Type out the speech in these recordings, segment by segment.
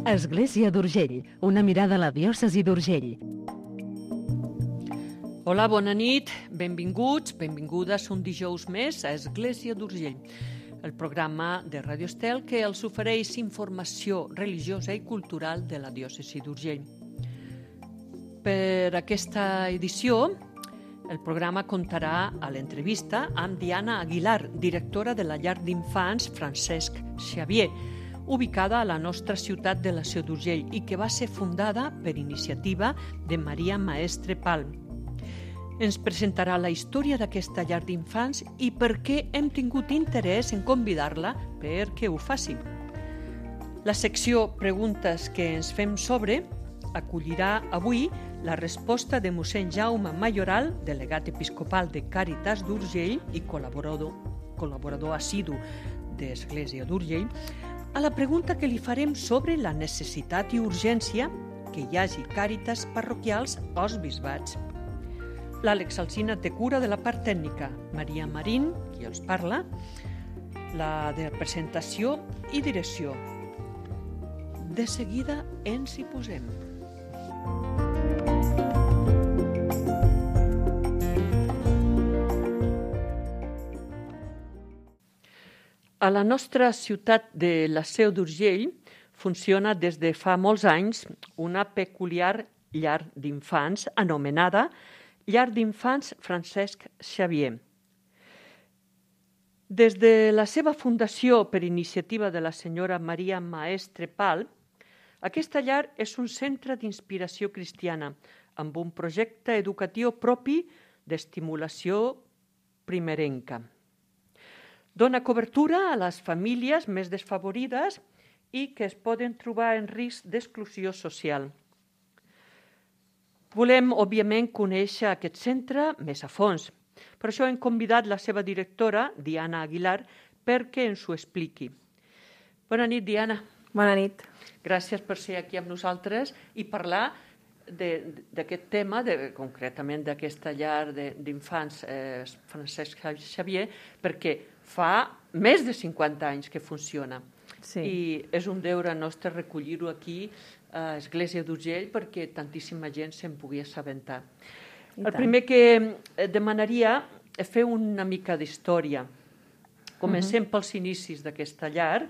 Església d'Urgell, una mirada a la diòcesi d'Urgell. Hola, bona nit, benvinguts, benvingudes un dijous més a Església d'Urgell, el programa de Radio Estel que els ofereix informació religiosa i cultural de la diòcesi d'Urgell. Per aquesta edició, el programa comptarà a l'entrevista amb Diana Aguilar, directora de la llar d'infants Francesc Xavier, ubicada a la nostra ciutat de la Seu d'Urgell i que va ser fundada per iniciativa de Maria Maestre Pal. Ens presentarà la història d'aquesta llar d'infants i per què hem tingut interès en convidar-la perquè ho faci. La secció Preguntes que ens fem sobre acollirà avui la resposta de mossèn Jaume Mayoral, delegat episcopal de Càritas d'Urgell i col·laborador assidu d'Església d'Urgell, a la pregunta que li farem sobre la necessitat i urgència que hi hagi càritas parroquials als bisbats. L'Àlex Alsina té cura de la part tècnica, Maria Marín, qui els parla, la de presentació i direcció. De seguida ens hi posem. A la nostra ciutat de la Seu d'Urgell funciona des de fa molts anys una peculiar llar d'infants anomenada Llar d'Infants Francesc Xavier. Des de la seva fundació per iniciativa de la senyora Maria Maestre Pal, aquesta llar és un centre d'inspiració cristiana amb un projecte educatiu propi d'estimulació primerenca. Dona cobertura a les famílies més desfavorides i que es poden trobar en risc d'exclusió social. Volem, òbviament, conèixer aquest centre més a fons. Per això hem convidat la seva directora, Diana Aguilar, perquè ens ho expliqui. Bona nit, Diana. Bona nit. Gràcies per ser aquí amb nosaltres i parlar d'aquest tema, concretament d'aquesta llar d'infants Francesc Xavier, perquè fa més de 50 anys que funciona. Sí. I és un deure nostre recollir-ho aquí a Església d'Urgell perquè tantíssima gent se'n pugui assabentar. El primer que demanaria és fer una mica d'història. Comencem pels inicis d'aquesta llar,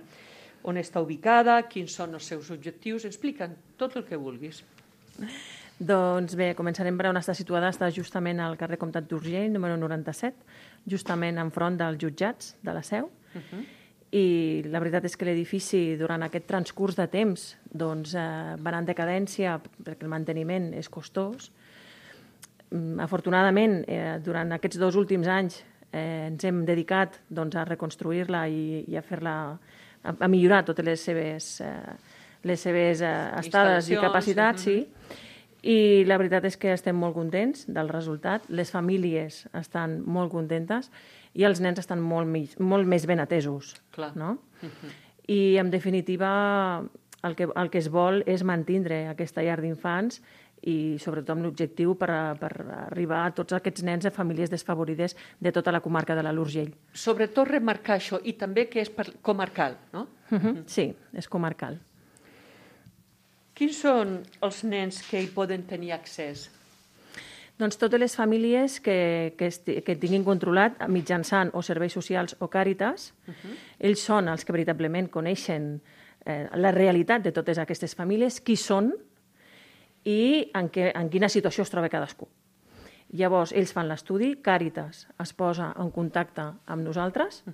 on està ubicada, quins són els seus objectius. Explica'n tot el que vulguis. Doncs bé, començarem per on està situada. Està justament al carrer Comtat d'Urgell, número 97, justament enfront dels jutjats de la Seu. I la veritat és que l'edifici, durant aquest transcurs de temps, doncs, va anar en decadència perquè el manteniment és costós. Afortunadament, durant aquests 2 últims anys ens hem dedicat doncs, a reconstruir-la i a fer-la, a millorar totes les seves estades i capacitats, sí. I la veritat és que estem molt contents del resultat. Les famílies estan molt contentes i els nens estan molt més ben atesos. Clar. No? I, en definitiva, el que es vol és mantindre aquesta llar d'infants i, sobretot, amb l'objectiu per arribar a tots aquests nens de famílies desfavorides de tota la comarca de l'Alt Urgell. Sobretot remarcar això, i també que és comarcal, no? Sí, és comarcal. Quins són els nens que hi poden tenir accés? Doncs totes les famílies que tinguin controlat mitjançant o serveis socials o càritas, ells són els que veritablement coneixen la realitat de totes aquestes famílies, qui són i en quina situació es troba cadascú. Llavors, ells fan l'estudi, Càritas es posa en contacte amb nosaltres,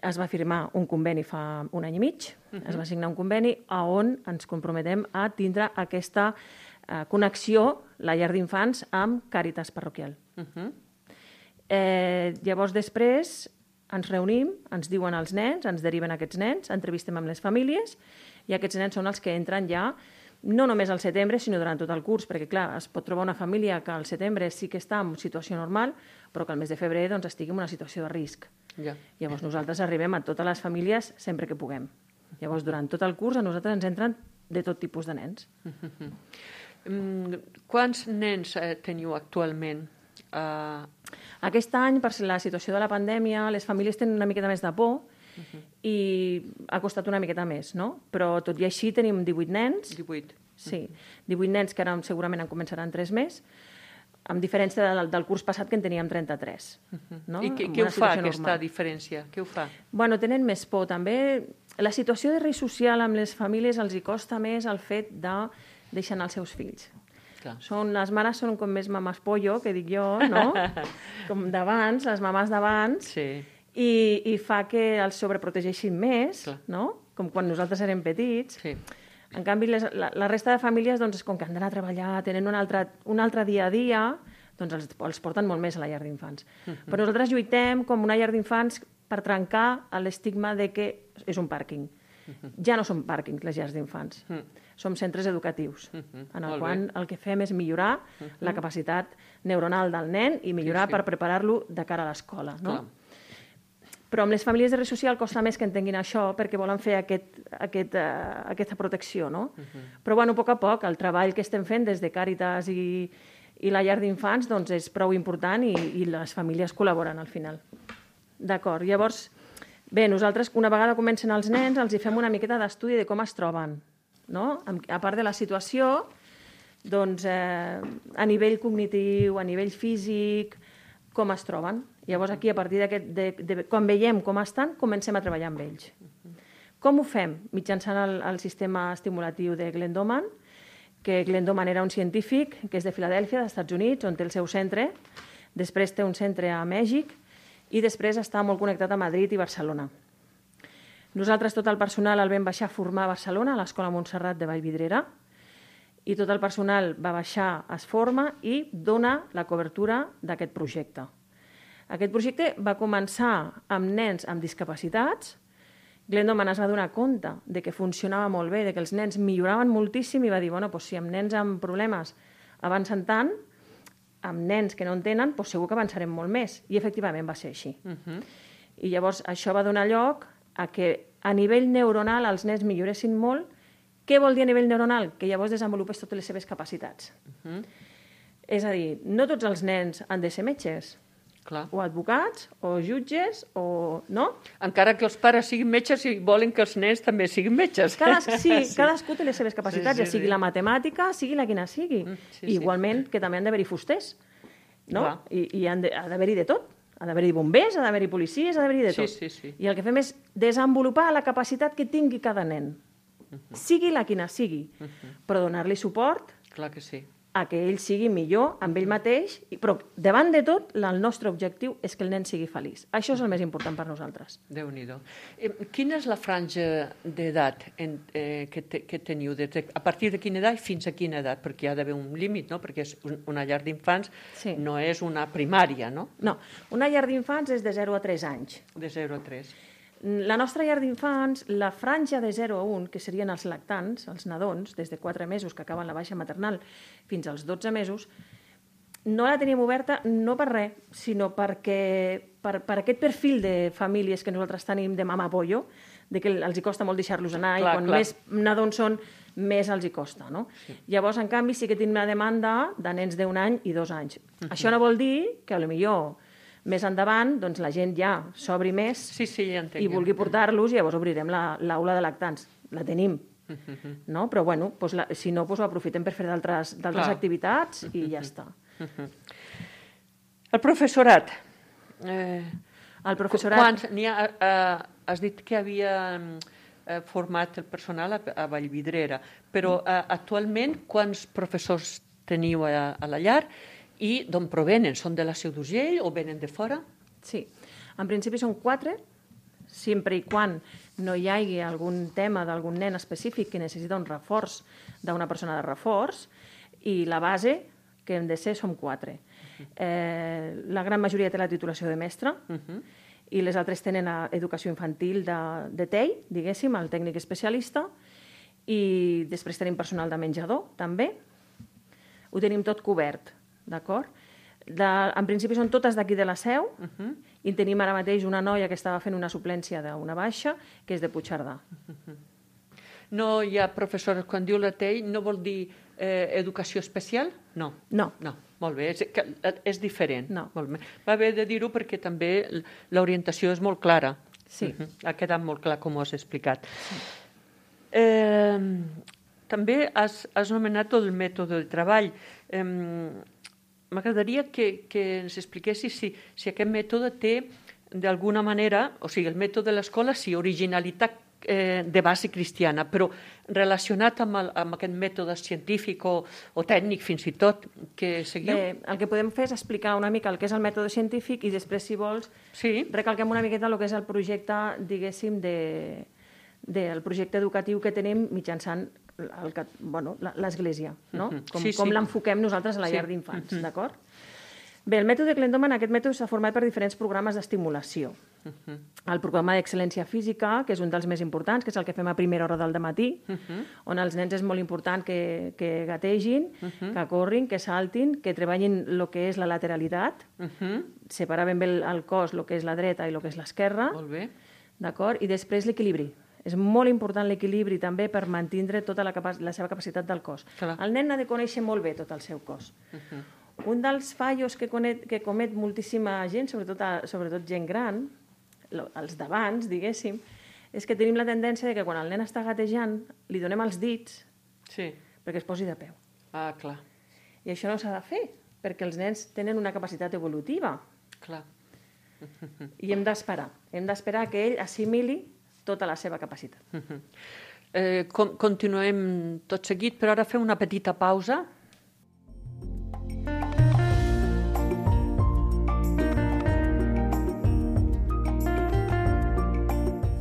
es va firmar un conveni fa 1 any i mig, es va signar un conveni on ens comprometem a tindre aquesta connexió, la llar d'infants, amb Càritas parroquial. Llavors, després, ens reunim, ens diuen els nens, ens deriven aquests nens, entrevistem amb les famílies i aquests nens són els que entren ja no només al setembre, sinó durant tot el curs, perquè, clar, es pot trobar una família que al setembre sí que està en situació normal, però que al mes de febrer doncs, estigui en una situació de risc. Ja. Llavors, nosaltres arribem a totes les famílies sempre que puguem. Llavors, durant tot el curs, a nosaltres ens entren de tot tipus de nens. Quants nens teniu actualment? Aquest any, per la situació de la pandèmia, les famílies tenen una miqueta més de por i ha costat una miqueta més, no? Però tot i així tenim 18 nens. 18. Sí, 18 nens que ara segurament en començaran 3 més, amb diferència del curs passat que en teníem 33. No? I què ho fa, aquesta diferència? Què ho fa? Bueno, tenen més por, també. La situació de risc social amb les famílies els hi costa més el fet de deixar anar els seus fills. Clar. Les mares són com més mames pollo, que dic jo, no? Com d'abans, les mamàs d'abans, Sí. i fa que els sobreprotegeixin més, Clar. no? Com quan nosaltres érem petits. Sí. En canvi, la resta de famílies, doncs, com que han d'anar a treballar, tenen un altre dia a dia, doncs els porten molt més a la llar d'infants. Però nosaltres lluitem com una llar d'infants per trencar l'estigma de que és un pàrquing. Ja no són pàrquings, les llars d'infants. Som centres educatius, en el qual el que fem és millorar la capacitat neuronal del nen i millorar per preparar-lo de cara a l'escola. No? Però amb les famílies de risc social costa més que entenguin això perquè volen fer aquesta protecció, no? Però, bueno, a poc a poc, el treball que estem fent des de Càritas i la llar d'infants doncs és prou important i les famílies col·laboren al final. D'acord, llavors, bé, nosaltres, una vegada comencen els nens, els hi fem una miqueta d'estudi de com es troben, no? A part de la situació, doncs, a nivell cognitiu, a nivell físic, com es troben. Llavors, aquí, a partir quan veiem com estan, comencem a treballar amb ells. Com ho fem? Mitjançant el sistema estimulatiu de Glendoman, que Glendoman era un científic que és de Filadèlfia, dels Estats Units, on té el seu centre. Després té un centre a Mèxic i després està molt connectat a Madrid i Barcelona. Nosaltres, tot el personal, el vam baixar a formar a Barcelona, a l'Escola Montserrat de Vallvidrera, i tot el personal va baixar, es forma i dona la cobertura d'aquest projecte. Aquest projecte va començar amb nens amb discapacitats. Glendoman es va donar compte de que funcionava molt bé, de que els nens milloraven moltíssim i va dir, bueno, doncs si amb nens amb problemes avancen tant, amb nens que no en tenen, doncs segur que avançarem molt més. I efectivament va ser així. I llavors això va donar lloc a que a nivell neuronal els nens milloressin molt. Què vol dir a nivell neuronal? Que llavors desenvolupés totes les seves capacitats. És a dir, no tots els nens han de ser metges, o advocats, o jutges, o... no? Encara que els pares siguin metges i volen que els nens també siguin metges. Cadascú té les seves capacitats, ja sigui la matemàtica, sigui la quina sigui. Igualment que també han d'haver-hi fusters, no? I ha d'haver-hi de tot. Ha d'haver-hi bombers, ha d'haver-hi policies, ha d'haver-hi de tot. I el que fem és desenvolupar la capacitat que tingui cada nen. Sigui la quina sigui, però donar-li suport a que ell sigui millor amb ell mateix, però davant de tot el nostre objectiu és que el nen sigui feliç. Això és el més important per nosaltres. Déu-n'hi-do. Quina és la franja d'edat que teniu? A partir de quina edat fins a quina edat? Perquè hi ha d'haver un límit, no? Perquè una llar d'infants no és una primària, no? No, una llar d'infants és de 0 a 3 anys. De 0 a 3. La nostra llar d'infants, la franja de 0 a 1, que serien els lactants, els nadons, des de 4 mesos que acaben la baixa maternal fins als 12 mesos, no la tenim oberta no per res, sinó perquè per aquest perfil de famílies que nosaltres tenim de mama pollo, de que els hi costa molt deixar-los anar i quan més nadons són, més els hi costa. No? Llavors, en canvi, sí que tenim una demanda de nens d'1 any i 2 anys. Això no vol dir que potser més endavant doncs, la gent ja s'obri més i vulgui portar-los i llavors obrirem l'aula de lactants. La tenim. No? Però bueno, si no, ho aprofitem per fer d'altres activitats i ja està. El professorat. El professorat... Has dit que havia format el personal a Vallvidrera, però actualment quants professors teniu a la llar? I d'on provenen? Són de la Seu d'Urgell o venen de fora? Sí, en principi són 4, sempre i quan no hi hagi algun tema d'algun nen específic que necessita un reforç d'una persona de reforç, i la base que hem de ser som 4. La gran majoria té la titulació de mestre i les altres tenen educació infantil de TEI, diguéssim, el tècnic especialista, i després tenim personal de menjador, també. Ho tenim tot cobert. D'acord? En principi són totes d'aquí de la Seu i tenim ara mateix una noia que estava fent una suplència d'una baixa, que és de Puigcerdà. No hi ha professores, quan diu la TEI, no vol dir educació especial? No. No. Molt bé, és diferent. Va haver de dir-ho perquè també l'orientació és molt clara. Sí. Ha quedat molt clar com ho has explicat. També has nomenat el mètode de treball. M'agradaria que ens expliquessis si aquest mètode té, d'alguna manera, o sigui, el mètode de l'escola, sí, originalitat de base cristiana, però relacionat amb aquest mètode científic o tècnic, fins i tot, que seguiu? Bé, el que podem fer és explicar una mica el que és el mètode científic i després, si vols, recalquem una miqueta el que és el projecte, diguéssim, del projecte educatiu que tenim mitjançant l'Església, no? Com l'enfoquem nosaltres a la llar d'infants, d'acord? Bé, el mètode Glendoman, aquest mètode s'ha format per diferents programes d'estimulació. El programa d'excel·lència física, que és un dels més importants, que és el que fem a primera hora del dematí, on els nens és molt important que gategin, que corrin, que saltin, que treballin el que és la lateralitat, separar ben bé el cos, el que és la dreta i el que és l'esquerra, d'acord? I després l'equilibri. És molt important l'equilibri també per mantenir tota la seva capacitat del cos. El nen ha de conèixer molt bé tot el seu cos. Un dels fallos que comet moltíssima gent, sobretot gent gran, els d'abans, diguéssim, és que tenim la tendència que quan el nen està gatejant li donem els dits perquè es posi de peu. Ah, clar. I això no s'ha de fer, perquè els nens tenen una capacitat evolutiva. Clar. I hem d'esperar que ell assimili tota la seva capacitat. Continuem tot seguit, però ara fem una petita pausa.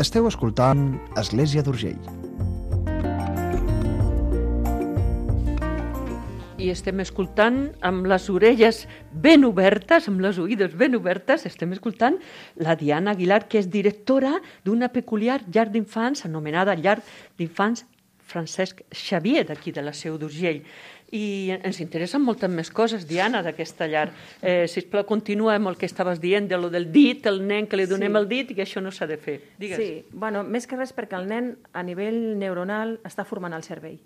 Esteu escoltant Església d'Urgell. I estem escoltant amb les orelles ben obertes, amb les oïdes ben obertes, estem escoltant la Diana Aguilar, que és directora d'una peculiar llar d'infants anomenada Llar d'Infants Francesc Xavier, d'aquí de la Seu d'Urgell. I ens interessen moltes més coses, Diana, d'aquesta llar. Sisplau, continua amb el que estaves dient, de lo del dit, el nen que li donem el dit i que això no s'ha de fer. Digues. Sí, bueno, més que res perquè el nen a nivell neuronal està formant el cervell.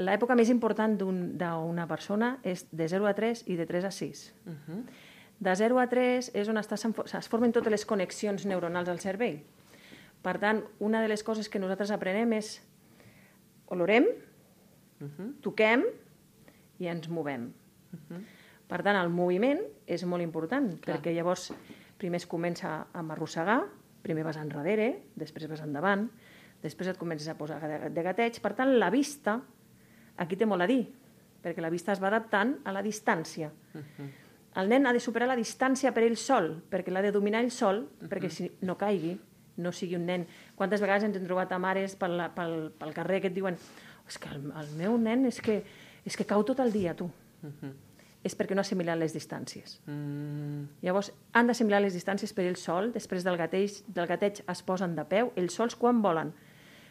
L'època més important d'una persona és de 0 a 3 i de 3 a 6. De 0 a 3 és on es formen totes les connexions neuronals al cervell. Per tant, una de les coses que nosaltres aprenem és olorem, toquem i ens movem. Per tant, el moviment és molt important, perquè llavors primer es comença a arrossegar, primer vas enrere, després vas endavant, després et comences a posar de gateig. Per tant, la vista aquí té molt a dir, perquè la vista es va adaptant a la distància. El nen ha de superar la distància per ell sol, perquè l'ha de dominar ell sol, perquè si no caigui, no sigui un nen. Quantes vegades ens hem trobat a mares pel carrer que et diuen és que el meu nen és que cau tot el dia, tu. És perquè no ha assimilat les distàncies. Llavors, han d'assimilar les distàncies per ells sol, després del gateig es posen de peu, ells sols quan volen.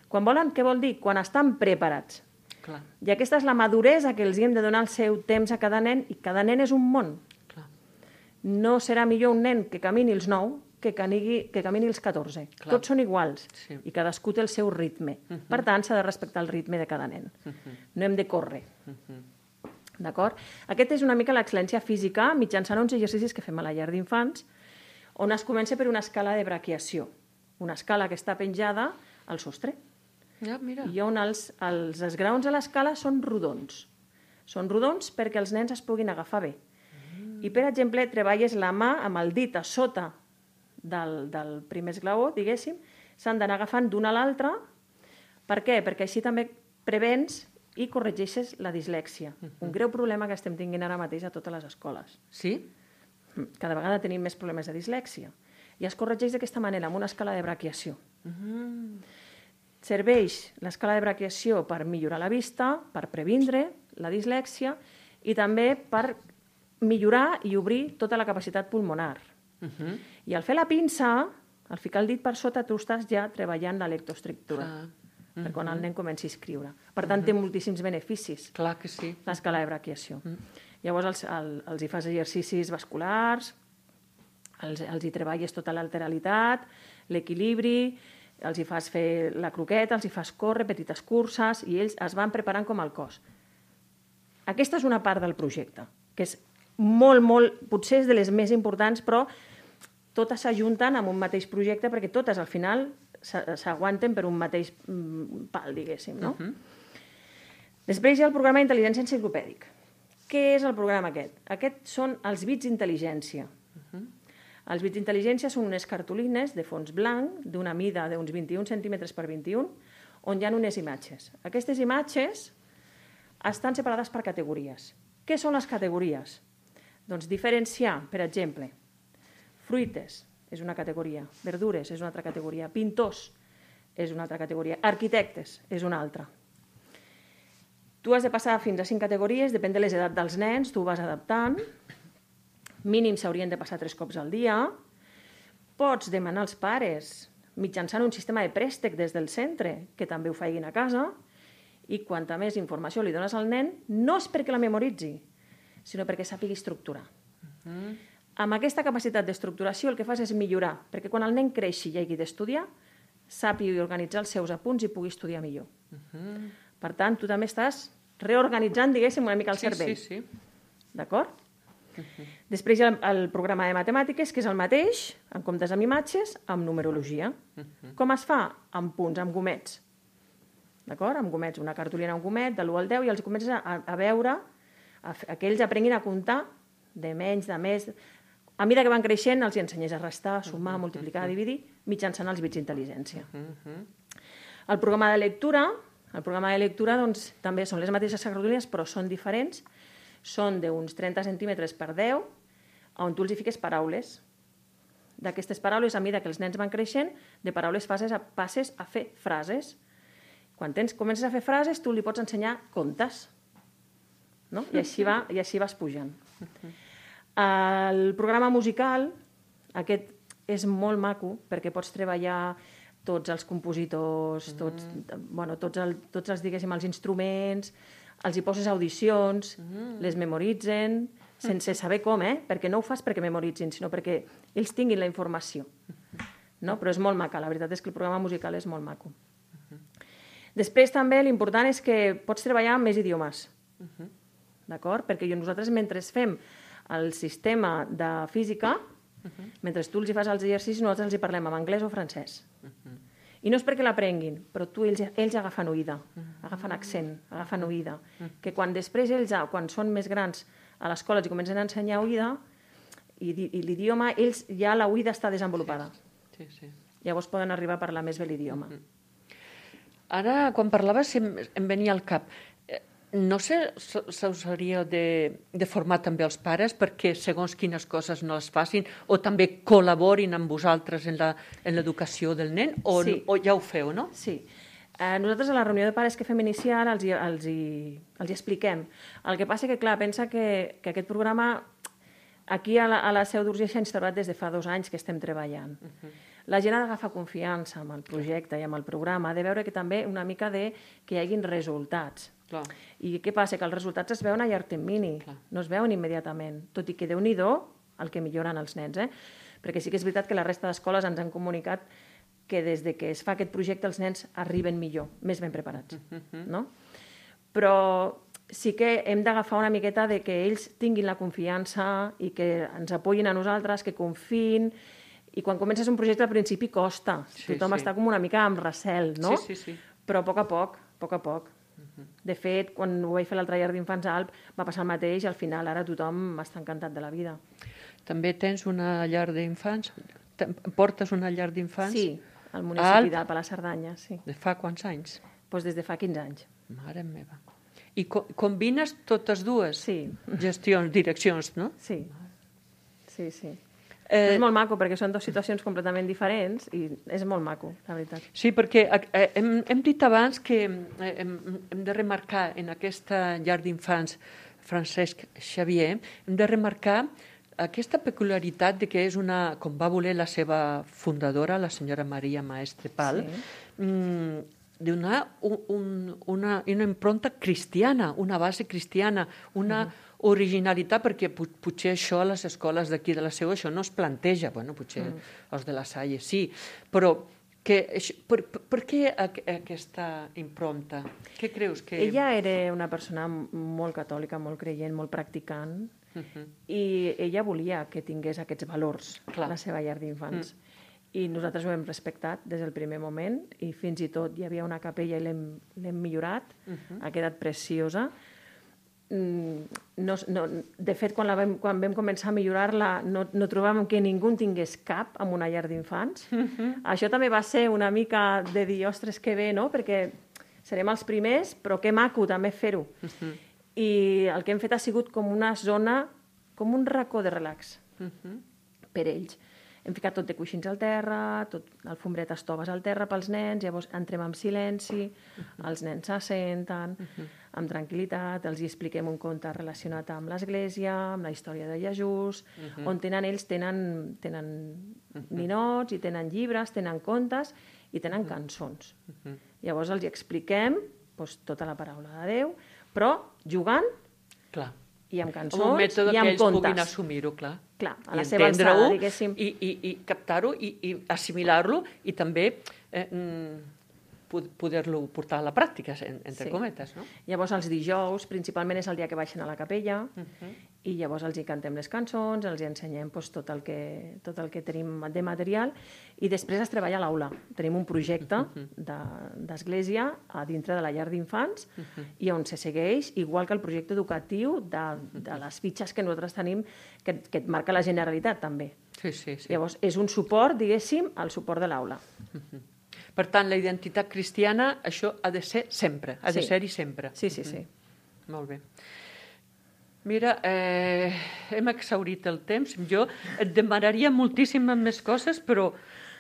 Quan volen, què vol dir? Quan estan preparats. I aquesta és la maduresa que els hem de donar el seu temps a cada nen, i cada nen és un món. No serà millor un nen que camini els 9 que camini els 14. Tots són iguals i cadascú té el seu ritme. Per tant, s'ha de respectar el ritme de cada nen. No hem de córrer. D'acord? Aquesta és una mica l'excel·lència física mitjançant uns exercicis que fem a la llar d'infants, on es comença per una escala de braquiació. Una escala que està penjada al sostre. I on els esgraons a l'escala són rodons. Són rodons perquè els nens es puguin agafar bé. I, per exemple, treballes la mà amb el dit a sota del primer esglaó, diguéssim, s'han d'anar agafant d'una a l'altra. Per què? Perquè així també prevens i corregeixes la dislèxia. Un greu problema que estem tinguent ara mateix a totes les escoles. Sí? Cada vegada tenim més problemes de dislèxia. I es corregeix d'aquesta manera, amb una escala de braquiació. Serveix l'escala de braquiació per millorar la vista, per previndre la dislèxia i també per millorar i obrir tota la capacitat pulmonar. I al fer la pinça, al ficar el dit per sota, tu estàs ja treballant la lectoescriptura, per quan el nen comenci a escriure. Per tant, té moltíssims beneficis. Clar que sí. L'escala de braquiació. Llavors els hi fas exercicis vasculars, els hi treballes tota l'alteralitat, l'equilibri, els hi fas fer la croqueta, els hi fas córrer, petites curses, i ells es van preparant com el cos. Aquesta és una part del projecte, que és molt, potser és de les més importants, però totes s'ajunten amb un mateix projecte perquè totes al final s'aguanten per un mateix pal, diguéssim, no? Després hi ha el programa d'intel·ligència enciclopèdic. Què és el programa aquest? Aquests són els bits d'intel·ligència. Els bits d'intel·ligència són unes cartolines de fons blanc d'una mida d'uns 21 centímetres per 21, on hi ha unes imatges. Aquestes imatges estan separades per categories. Què són les categories? Doncs diferenciar, per exemple, fruites és una categoria, verdures és una altra categoria, pintors és una altra categoria, arquitectes és una altra. Tu has de passar fins a 5 categories, depèn de les edats dels nens, tu ho vas adaptant. Mínim s'haurien de passar 3 cops al dia. Pots demanar als pares mitjançant un sistema de préstec des del centre, que també ho facin a casa, i quanta més informació li dones al nen, no és perquè la memoritzi, sinó perquè sàpigui estructurar. Amb aquesta capacitat d'estructuració el que fas és millorar, perquè quan el nen creixi i hagi d'estudiar, sàpigui organitzar els seus apunts i pugui estudiar millor. Per tant, tu també estàs reorganitzant, diguéssim, una mica el cervell. Sí. D'acord? Després hi ha el programa de matemàtiques, que és el mateix, en comptes amb imatges, amb numerologia. Com es fa? Amb punts, amb gomets. D'acord? Amb gomets, una cartolina, un gomet, de l'1 al 10, i els comences a veure, que ells aprenguin a comptar de menys, de més. A mesura que van creixent, els ensenyes a restar, a sumar, a multiplicar, a dividir, mitjançant els bits d'intel·ligència. El programa de lectura, doncs, també són les mateixes cartolines, però són diferents. Són d'uns 30 centímetres per 10, on tu els hi fiques paraules. D'aquestes paraules, a mesura que els nens van creixent, de paraules passes a fer frases. Quan comences a fer frases, tu li pots ensenyar contes. No? I així vas pujant. El programa musical, aquest és molt maco, perquè pots treballar tots els compositors, tots els, diguéssim, els instruments, els hi poses audicions, les memoritzen, sense saber com, perquè no ho fas perquè memoritzin, sinó perquè ells tinguin la informació. No? Però és molt maca, la veritat és que el programa musical és molt maco. Després també l'important és que pots treballar amb més idiomes, d'acord? Perquè nosaltres mentre fem el sistema de física, mentre tu els hi fas els exercicis, nosaltres els hi parlem en anglès o francès. I no és perquè l'aprenguin, però ells agafen oïda, agafen accent, agafen oïda. Que quan després ells, quan són més grans a l'escola, els comencen a ensenyar oïda, i l'idioma, ells ja l'oïda està desenvolupada. Llavors poden arribar a parlar més bé l'idioma. Ara, quan parlaves, em venia al cap. No sé si us hauria de formar també els pares perquè segons quines coses no les facin o també col·laborin amb vosaltres en l'educació del nen o ja ho feu, no? Sí. Nosaltres a la reunió de pares que fem inicial els hi expliquem. El que passa que, clar, pensa que aquest programa aquí a la Seu d'Urgell s'ha instal·lat des de fa 2 anys que estem treballant. La gent ha d'agafar confiança amb el projecte i amb el programa, ha de veure que també una mica que hi hagin resultats. I què passa? Que els resultats es veuen a llarg termini, no es veuen immediatament, tot i que Déu-n'hi-do el que milloren els nens. Perquè sí que és veritat que la resta d'escoles ens han comunicat que des que es fa aquest projecte els nens arriben millor, més ben preparats. Però sí que hem d'agafar una miqueta de que ells tinguin la confiança i que ens apoyin a nosaltres, que confiïn, i quan comences un projecte al principi costa, tothom està com una mica amb recel, no? Però a poc a poc. De fet, quan ho vaig fer l'altre llar d'infants a Alp va passar el mateix i al final ara tothom està encantat de la vida. També tens una llar d'infants? Portes una llar d'infants? Sí, al municipi d'Alp, a la Cerdanya, sí. De fa quants anys? Doncs des de fa 15 anys. Mare meva. I combines totes dues? Sí. Gestions, direccions, no? Sí. És molt maco perquè són 2 situacions completament diferents i és molt maco, la veritat. Sí, perquè hem dit abans que hem de remarcar en aquesta llar d'infants Francesc Xavier, hem de remarcar aquesta peculiaritat de que és una, com va voler la seva fundadora, la senyora Maria Maestre Pal, de donar una impronta cristiana, una base cristiana, una originalitat, perquè potser això a les escoles d'aquí de la Seu això no es planteja, bueno, potser els de la Salle sí, però per què aquesta impronta? Què creus que... Ella era una persona molt catòlica, molt creient, molt practicant, I ella volia que tingués aquests valors, la seva llar d'infants. I nosaltres ho hem respectat des del primer moment i fins i tot hi havia una capella i l'hem millorat, ha quedat preciosa. De fet, quan vam començar a millorar-la no trobàvem que ningú en tingués cap en una llar d'infants. Això també va ser una mica de dir, ostres, que bé, no? Perquè serem els primers, però que maco també fer-ho. I el que hem fet ha sigut com una zona, com un racó de relax per ells. Hem ficat tot de coixins al terra, tot alfombretes toves al terra pels nens, llavors entrem en silenci, els nens s'assenten, amb tranquil·litat, els expliquem un conte relacionat amb l'església, amb la història de Jesús, on ells tenen ninots i tenen llibres, tenen contes i tenen cançons. Llavors els expliquem tota la paraula de Déu, però jugant i amb cançons i amb contes. Un mètode que ells puguin assumir-ho, clar. Clar, a la seva alçada, diguéssim. I captar-ho i assimilar-lo i també poder-lo portar a la pràctica, entre cometes, no? Llavors, els dijous, principalment és el dia que baixen a la capella i llavors els hi cantem les cançons, els hi ensenyem tot el que tenim de material i després es treballa a l'aula. Tenim un projecte d'església a dintre de la llar d'infants i on se segueix, igual que el projecte educatiu de les fitxes que nosaltres tenim que et marca la Generalitat, també. Llavors, és un suport, diguéssim, al suport de l'aula. Per tant, la identitat cristiana, això ha de ser sempre, ha de ser-hi sempre. Sí. Molt bé. Mira, hem exhaurit el temps. Jo et demanaria moltíssimes més coses, però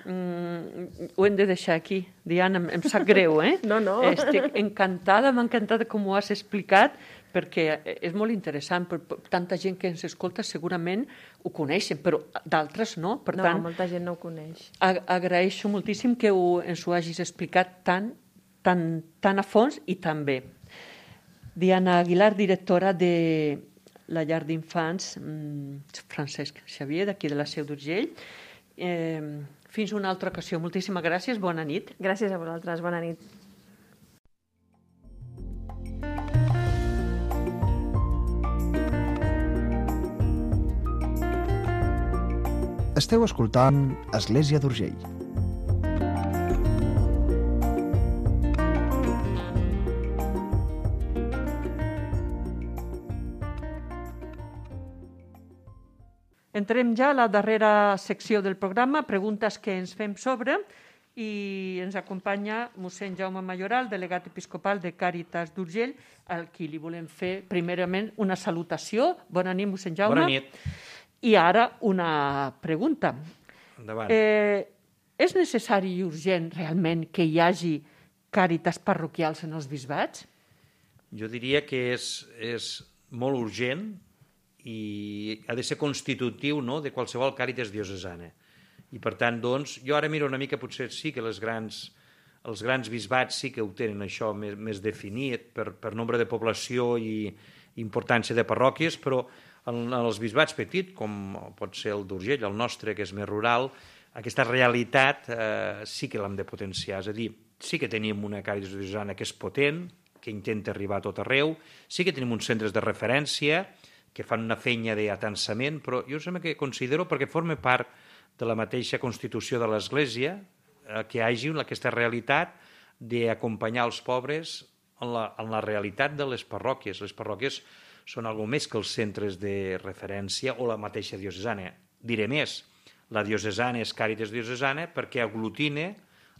ho hem de deixar aquí. Diana, em sap greu, eh? No. Estic encantada, m'ha encantat com ho has explicat, perquè és molt interessant. Tanta gent que ens escolta segurament ho coneixen, però d'altres no. Per tant, molta gent no ho coneix. Agraeixo moltíssim que ens ho hagis explicat tan a fons i tan bé. Diana Aguilar, directora de la llar d'infants Francesc Xavier, d'aquí de la Seu d'Urgell. Fins una altra ocasió. Moltíssimes gràcies, bona nit. Gràcies a vosaltres, bona nit. Esteu escoltant Església d'Urgell. Entrem ja a la darrera secció del programa, preguntes que ens fem sobre, i ens acompanya mossèn Jaume Mayoral, delegat episcopal de Càritas d'Urgell, al qui li volem fer primerament una salutació. Bona nit, mossèn Jaume. Bona nit. I ara una pregunta. Endavant. És necessari i urgent realment que hi hagi càritas parroquials en els bisbats? Jo diria que és molt urgent i ha de ser constitutiu, no?, de qualsevol càritas diocesana. I per tant, doncs, jo ara miro una mica, potser sí que els grans bisbats sí que ho tenen això més definit per nombre de població i importància de parròquies, però en els bisbats petits, com pot ser el d'Urgell, el nostre, que és més rural, aquesta realitat sí que l'hem de potenciar. És a dir, sí que tenim una càritas diocesana que és potent, que intenta arribar a tot arreu, sí que tenim uns centres de referència que fan una feina d'atansament, però jo sembla que considero, perquè forma part de la mateixa constitució de l'Església, que hi hagi aquesta realitat d'acompanyar els pobres en la realitat de les parròquies. Les parròquies són alguna més que els centres de referència o la mateixa diocesana. Diré més, la diocesana és càritas diocesana perquè aglutina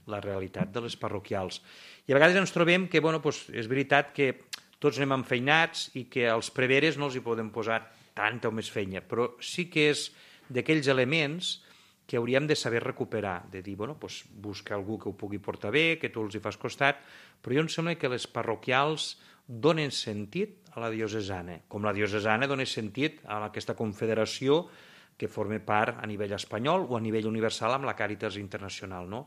la realitat de les parroquials. I a vegades ens trobem que, és veritat que tots anem enfeinats i que als preveres no els hi podem posar tanta o més feina, però sí que és d'aquells elements que hauríem de saber recuperar, de dir, busca algú que ho pugui portar bé, que tu els hi fas costat, però jo em sembla que les parroquials donen sentit a la diocesana, com la diocesana dona sentit a aquesta confederació que forma part a nivell espanyol o a nivell universal amb la Càritas Internacional, no?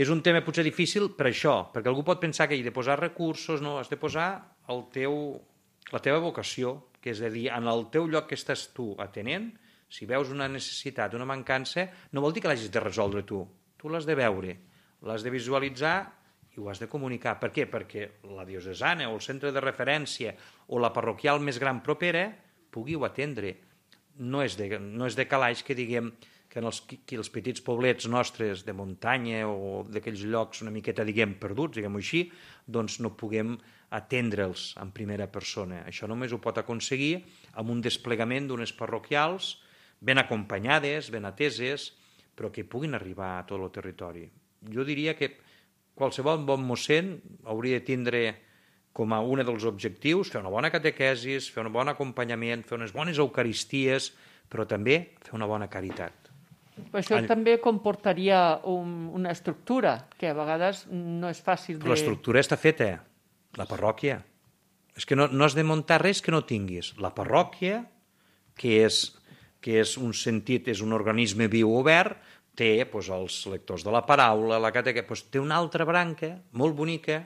És un tema potser difícil per això, perquè algú pot pensar que hi ha de posar recursos, no, has de posar la teva vocació, que és a dir, en el teu lloc que estàs tu atenent, si veus una necessitat, una mancança, no vol dir que l'hagis de resoldre tu. Tu l'has de veure, l'has de visualitzar i ho has de comunicar. Per què? Perquè la diocesana o el centre de referència o la parroquial més gran propera pugueu atendre. No és de calaix que diguem que els petits poblets nostres de muntanya o d'aquells llocs una miqueta, diguem, perduts, diguem-ho així, doncs no puguem atendre'ls en primera persona. Això només ho pot aconseguir amb un desplegament d'unes parroquials ben acompanyades, ben ateses, però que puguin arribar a tot el territori. Jo diria que qualsevol bon mossèn hauria de tindre com a un dels objectius fer una bona catequesis, fer un bon acompanyament, fer unes bones eucaristies, però també fer una bona caritat. Però això també comportaria una estructura, que a vegades no és fàcil de... Però l'estructura està feta, la parròquia. És que no has de muntar res que no tinguis. La parròquia, que és un sentit, és un organisme viu obert, té els lectors de la paraula, la catequesis, té una altra branca molt bonica,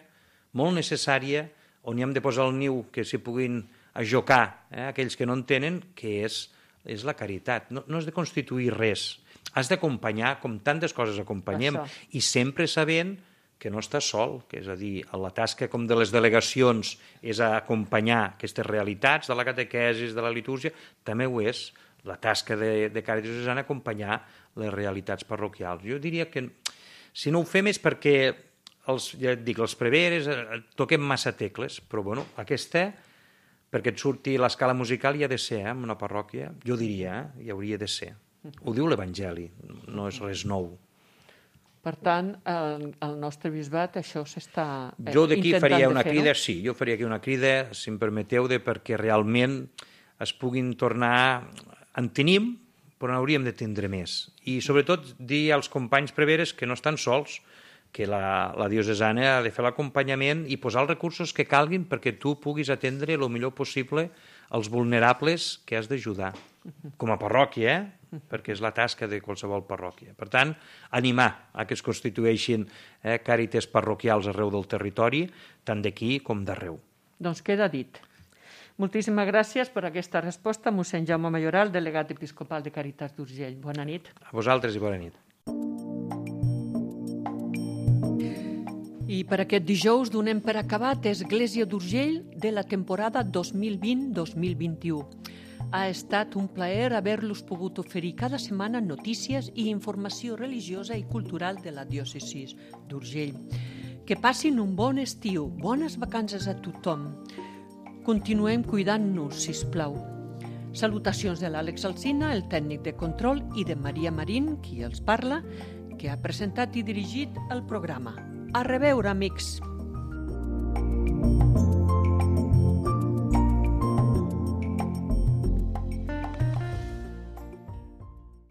molt necessària, on hi hem de posar el niu que s'hi puguin ajocar aquells que no en tenen, que és la caritat. No has de constituir res. Has d'acompanyar, com tantes coses acompanyem, i sempre sabent que no estàs sol, que és a dir, la tasca com de les delegacions és acompanyar aquestes realitats de la catequesis, de la litúrgia, també ho és la tasca de Càritas Diocesana acompanyar les realitats parroquials. Jo diria que si no ho fem és perquè els preveres toquem massa tecles, però bueno, aquesta, perquè et surti l'escala musical hi ha de ser, en una parròquia, jo diria, hi hauria de ser. Ho diu l'Evangeli, no és res nou. Per tant, el nostre bisbat això s'està intentant de fer, jo d'aquí faria una crida, sí, jo faria aquí una crida, si em permeteu, perquè realment es puguin tornar... En tenim, però n'hauríem de tindre més. I sobretot dir als companys preveres que no estan sols, que la diocesana ha de fer l'acompanyament i posar els recursos que calguin perquè tu puguis atendre el millor possible els vulnerables que has d'ajudar. Com a parròquia, perquè és la tasca de qualsevol parròquia. Per tant, animar a que es constitueixin càrites parroquials arreu del territori, tant d'aquí com d'arreu. Doncs queda dit. Moltíssimes gràcies per aquesta resposta, mossèn Jaume Mayoral, delegat episcopal de Càritas d'Urgell. Bona nit. A vosaltres i bona nit. I per aquest dijous donem per acabat Església d'Urgell de la temporada 2020-2021. Ha estat un plaer haver-los pogut oferir cada setmana notícies i informació religiosa i cultural de la diòcesi d'Urgell. Que passin un bon estiu, bones vacances a tothom. Continuem cuidant-nos, sisplau. Salutacions de l'Àlex Alsina, el tècnic de control, i de Maria Marín, qui els parla, que ha presentat i dirigit el programa. A reveure, amics!